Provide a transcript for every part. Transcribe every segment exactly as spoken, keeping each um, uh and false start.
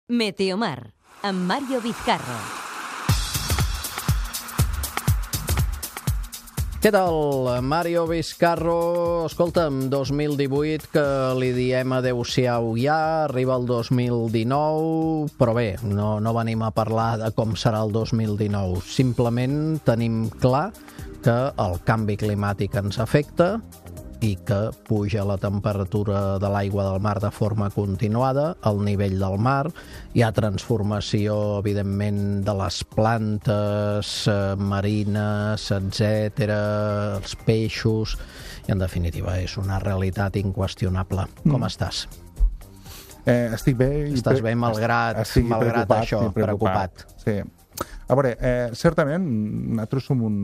Meteomar, amb Mario Vizcarro. Què tal, Mario Vizcarro? Escolta'm, dos mil divuit, que li diem adeu-siau ja, arriba el dos mil dinou, però bé, no, no venim a parlar de com serà el dos mil dinou. Simplement tenim clar que el canvi climàtic ens afecta i que puja la temperatura de l'aigua del mar de forma continuada, el nivell del mar, hi ha transformació, evidentment, de les plantes eh, marines, etcètera, els peixos, i en definitiva és una realitat inqüestionable. Mm. Com estàs? Eh, estic bé. I Estàs bé malgrat, malgrat preocupat, això, preocupat. preocupat. Sí. A veure, eh, certament, nosaltres som un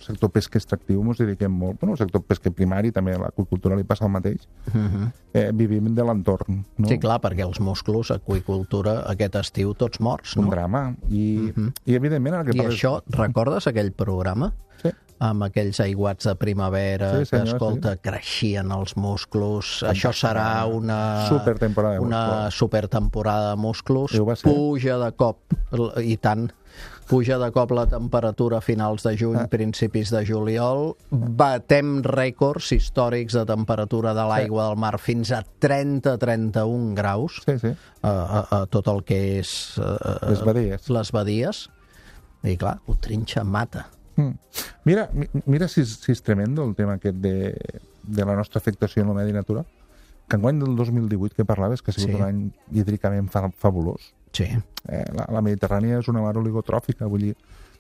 sector pesca extractiu, ens dediquem molt, bueno, el sector pesca primari, també a l'aqüicultura li passa el mateix, uh-huh. eh, vivim de l'entorn. No? Sí, clar, perquè els musclos, aqüicultura, aquest estiu, tots morts, no? Un drama. I, uh-huh. i evidentment... El que I parles... això, recordes aquell programa? Sí. Amb aquells aiguats de primavera, sí, senyor, que, escolta, sí. creixien els musclos. Fantàstica. Això serà una... Supertemporada de una musclos. supertemporada de musclos. Puja de cop, i tant, puja de cop la temperatura a finals de juny, ah. principis de juliol. Batem rècords històrics de temperatura de l'aigua sí. del mar fins a trenta a trenta-un graus sí, sí. A, a, a tot el que és... A, les badies. Les badies. I clar, ho trinxa, mata. Mm. Mira, mira si, si és tremendo el tema aquest de, de la nostra afectació en el medi natural, que enguany del dos mil divuit que parlaves, que ha sigut sí. un any hídricament fa, fabulós. Sí. Eh, la, la Mediterrània és una mar oligotròfica, vull dir,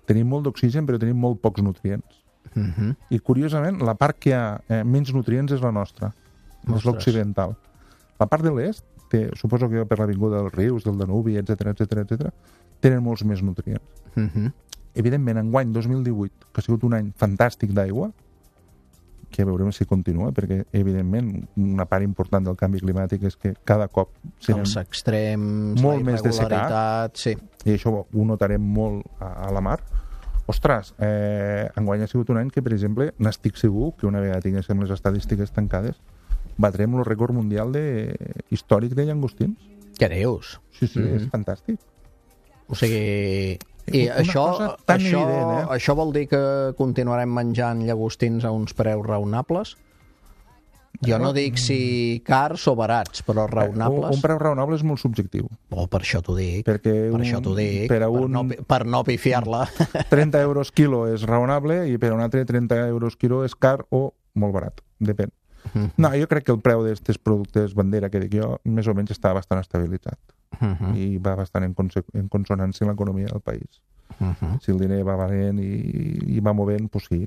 tenim molt d'oxigen però tenim molt pocs nutrients. Uh-huh. I curiosament, la part que ha eh, menys nutrients és la nostra, Ostres. és l'occidental. La part de l'est, té, suposo que per l'avinguda dels rius, del Danubi, etcètera, etcètera, etcètera, tenen molts més nutrients. Uh-huh. Evidentment, enguany dos mil divuit, que ha sigut un any fantàstic d'aigua, que veurem si continua, perquè, evidentment, una part important del canvi climàtic és que cada cop els extrems, molt la més de secat, sí. i això ho notarem molt a, a la mar. Ostres, eh, enguany ha sigut un any que, per exemple, n'estic segur que una vegada tinguéssim les estadístiques tancades, batrem el rècord mundial de, històric de llangostins. Què dius? Sí, sí, mm-hmm. és fantàstic. O sigui... I una això, tan això, evident, eh? això vol dir que continuarem menjant llagostins a uns preus raonables? Jo no dic si cars o barats, però raonables. Un, un preu raonable és molt subjectiu. Oh, per això t'ho dic. Perquè per un, això t'ho dic. Per, per, un, no, per no pifiar-la. trenta euros quilo és raonable i per un altre trenta euros quilo és car o molt barat. Depèn. Uh-huh. No, jo crec que el preu d'aquests productes bandera que dic jo més o menys està bastant estabilitzat. Uh-huh. I va bastant en, en consonància amb l'economia del país. Uh-huh. Si el diner va valent i, i va movent, doncs sí.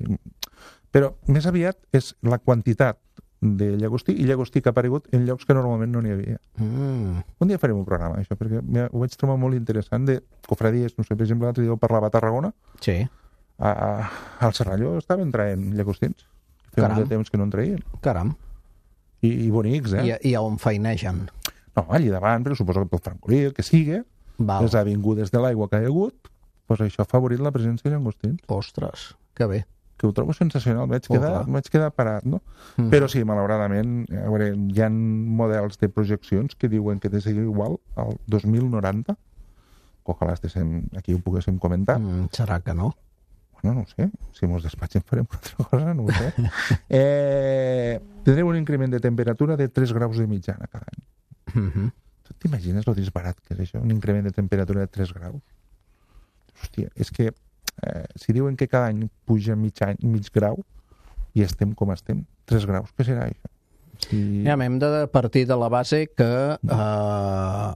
Però més aviat és la quantitat de llagostí i llagostí que ha aparegut en llocs que normalment no n'hi havia. Uh-huh. Un dia farem un programa, això, perquè ho vaig trobar molt interessant de cofradies. No sé, per exemple, l'altre dia parlava a Tarragona. Sí. A, a, al Serralló estaven traient llagostins. Feia un de temps que no en traien. Caram. I, i bonics, eh? I, I on feinegen? No, allí davant, però suposo que pel Francolí, el que sigui, Val. les avingudes de l'aigua que hi ha hagut, doncs això ha favorit la presència de llangostins. Ostres, que bé. Que ho trobo sensacional, vaig oh, quedar, vaig quedar parat, no? Mm. Però sí, malauradament, a veure, hi ha models de projeccions que diuen que de seguir igual al dos mil noranta, ojalà estéssim, aquí ho poguéssim comentar. Mm, serà que no? Bueno, no ho sé, si mos despatxem farem una altra cosa, no ho sé. eh, tindrem un increment de temperatura de tres graus de mitjana cada any. Mm-hmm. T'imagines lo disbarat que és això? Un increment de temperatura de tres graus? Hòstia, és que eh, si diuen que cada any puja mig, any, mig grau i estem com estem, tres graus, què serà això? Si... Ja, hem de partir de la base que eh,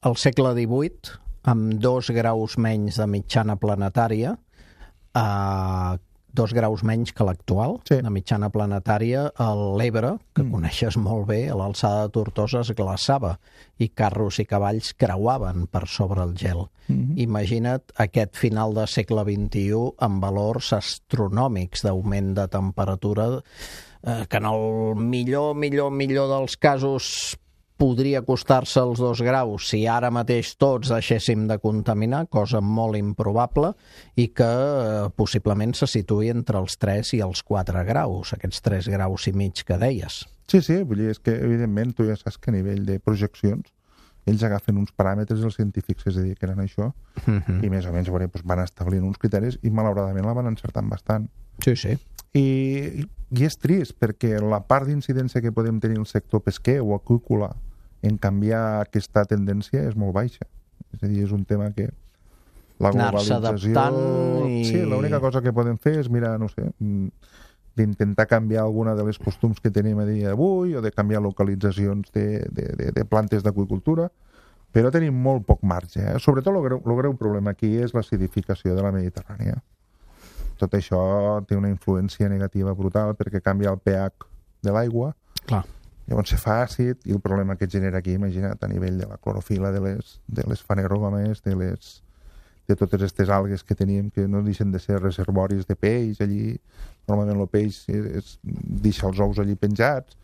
al segle divuit, amb dos graus menys de mitjana planetària, eh, dos graus menys que l'actual, sí. de mitjana planetària, l'Ebre, que mm. coneixes molt bé, a l'alçada de Tortosa es glaçava i carros i cavalls creuaven per sobre el gel. Mm-hmm. Imagina't aquest final de segle vint-i-u amb valors astronòmics d'augment de temperatura eh, que en el millor, millor, millor dels casos podria costar-se els dos graus si ara mateix tots deixéssim de contaminar, cosa molt improbable, i que eh, possiblement se situï entre els tres i els quatre graus, aquests tres graus i mig que deies. Sí, sí, vull dir, és que evidentment tu ja saps que a nivell de projeccions ells agafen uns paràmetres, els científics que es dediquen a això, Uh-huh. i més o menys veure, doncs, van establint uns criteris i malauradament la van encertant bastant. Sí, sí. I, I és trist, perquè la part d'incidència que podem tenir el sector pesquer o aqüícola en canviar aquesta tendència és molt baixa. És a dir, és un tema que la Anar-se globalització... adaptant i- Sí, l'única cosa que podem fer és, mira, no sé, mm, d'intentar canviar alguna de les costums que tenim a dia d'avui o de canviar localitzacions de, de, de, de plantes d'aqüicultura, però tenim molt poc marge. Eh? Sobretot el greu, el greu problema aquí és l'acidificació de la Mediterrània. Tot això té una influència negativa brutal perquè canvia el pH de l'aigua, Clar. llavors se fa àcid i el problema que genera aquí, imagina't, a nivell de la clorofila, de les, de les fanerógames, de les de totes aquestes algues que tenim, que no deixen de ser reservoris de peix allí. Normalment el peix és, és, deixa els ous allí penjats.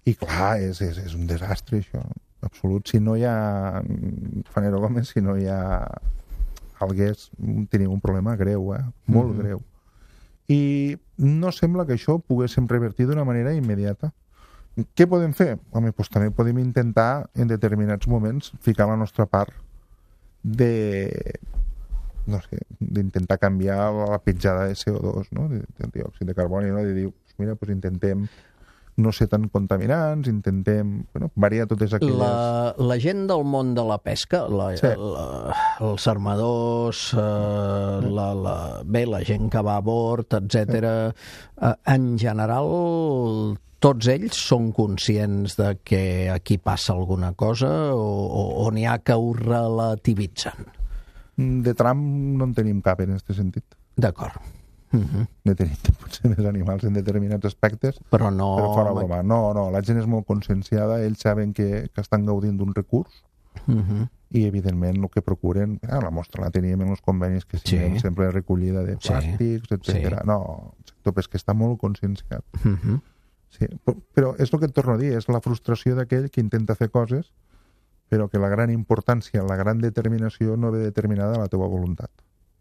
I clar, és, és, és un desastre, això, absolut. Si no hi ha fanerógames, si no hi ha algues, tenim un problema greu, eh? Molt Mm-hmm. greu. I no sembla que això ho poguéssim revertir d'una manera immediata. Què podem fer? Home, doncs també podem intentar, en determinats moments, ficar la nostra part de no sé, d'intentar canviar la petjada de C O dos, no? de, de diòxid de carboni, no? De dir, pues mira, pues intentem no ser tan contaminants, intentem bueno, variar totes aquelles... La, la gent del món de la pesca, la, Sí. la, els armadors, eh, la, la, bé, la gent que va a bord, etcètera, eh, en general, tots ells són conscients de que aquí passa alguna cosa o, o, o n'hi ha que ho relativitzen? De tram no en tenim cap en aquest sentit. D'acord. Uh-huh. Ne tenim potser més animals en determinats aspectes, Però no... però fora broma. No, no, la gent és molt conscienciada, ells saben que, que estan gaudint d'un recurs Uh-huh. i, evidentment, el que procuren... Ah, la mostra la teníem en els convenis que signem Sí. sempre recollida de Sí. plàstics, etcètera. Sí. No, el sector pesquer està molt conscienciat. Uh-huh. Sí, però, però és el que et torno a dir, és la frustració d'aquell que intenta fer coses però que la gran importància, la gran determinació no ve determinada a la teva voluntat.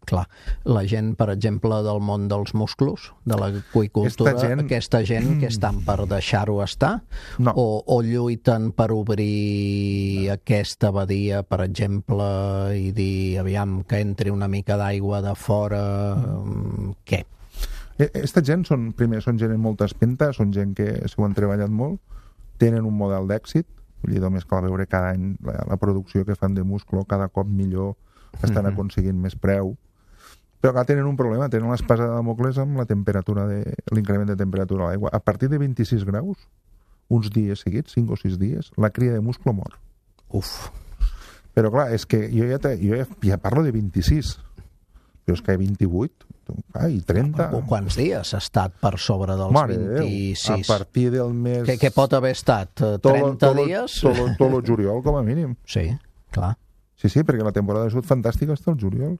Clar, la gent, per exemple, del món dels musclos, de l'aqüicultura, Aquesta gent- aquesta gent que estan per deixar-ho estar, No. o, o lluiten per obrir aquesta badia, per exemple, i dir, aviam, que entri una mica d'aigua de fora, mm. què? Aquesta gent són, primer, són gent amb molta espenta, són gent que s'ho han treballat molt, tenen un model d'èxit, vull dir, només cal veure cada any la, la producció que fan de musclo, cada cop millor, estan Mhm. aconseguint més preu. Però que tenen un problema, tenen l'espasa de Damocles amb la temperatura de l'increment de temperatura a l'aigua. A partir de vint-i-sis graus, uns dies seguits, cinc o sis dies, la cria de musclo mor. Uf, Però clar, és que jo ja, te, jo ja, ja parlo de vint-i-sis, però és que vint-i-vuit, ah, i trenta... o quants dies ha estat per sobre dels Mare de Déu, vint-i-sis? a partir del mes... Què, què pot haver estat? Eh, tot lo- trenta tot lo- dies? Tot lo- tot el juliol, com a mínim. Sí, clar. Sí, sí, perquè la temporada de sud fantàstica està al juliol.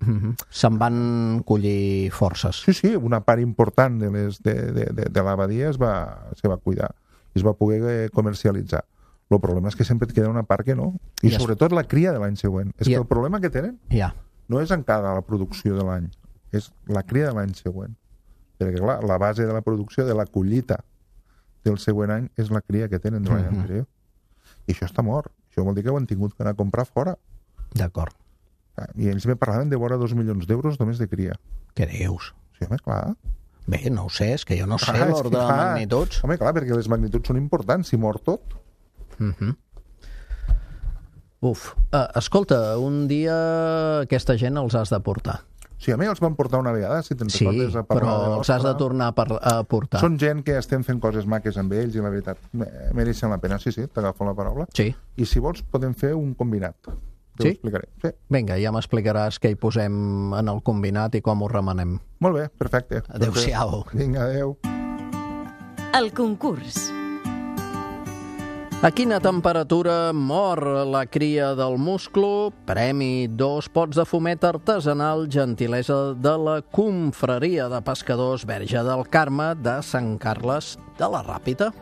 Mhm. Se'n van collir forces. Sí, sí, una part important de, les, de, de, de, de l'abadia es va, se va cuidar i es va poder eh, comercialitzar. El problema és que sempre et queda una part que no. I, I es- sobretot la cria de l'any següent. És I que es- el problema que tenen Ja. no és encara la producció de l'any, és la cria de l'any següent. Perquè, clar, la base de la producció, de la collita del següent any, és la cria que tenen de l'any Mhm. anterior. I això està mort. Això vol dir que ho han tingut que anar a comprar fora. D'acord. I ells me parlaven de vora dos milions d'euros només de cria. Què dius? Sí, home, clar. Bé, no ho sé, és que jo no sé Ah, és l'ordre que, de clar, magnituds. Home, clar, perquè les magnituds són importants. Si mor tot... Mhm. Uf. Uh, escolta, un dia aquesta gent els has de portar. Sí, a mi els van portar una vegada, si te'n Sí, recordes, a parlar però de els has de l'Ostra. tornar a, par a portar. Són gent que estem fent coses maques amb ells i la veritat, me- mereixen la pena. Sí, sí, t'agafo la paraula. Sí. I si vols podem fer un combinat. Te Sí? ho explicaré. Sí. Vinga, ja m'explicaràs què hi posem en el combinat i com ho remenem. Molt bé, perfecte. Adéu-siau. Vinga, adéu. El concurs. A quina temperatura mor la cria del musclo? Premi dos pots de fumet artesanal, gentilesa de la Confraria de Pescadors Verge del Carme de Sant Carles de la Ràpita.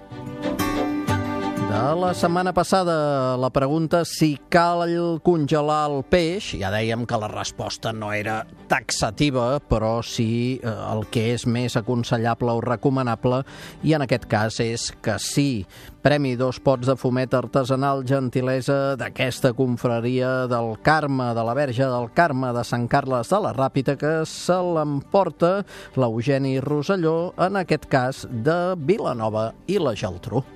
De la setmana passada, la pregunta si cal congelar el peix, ja dèiem que la resposta no era taxativa, però sí eh, el que és més aconsellable o recomanable, i en aquest cas és que sí. Premi dos pots de fumet artesanal, gentilesa d'aquesta confraria del Carme, de la Verge del Carme de Sant Carles de la Ràpita, que se l'emporta l'Eugeni Rosselló, en aquest cas de Vilanova i la Geltrú.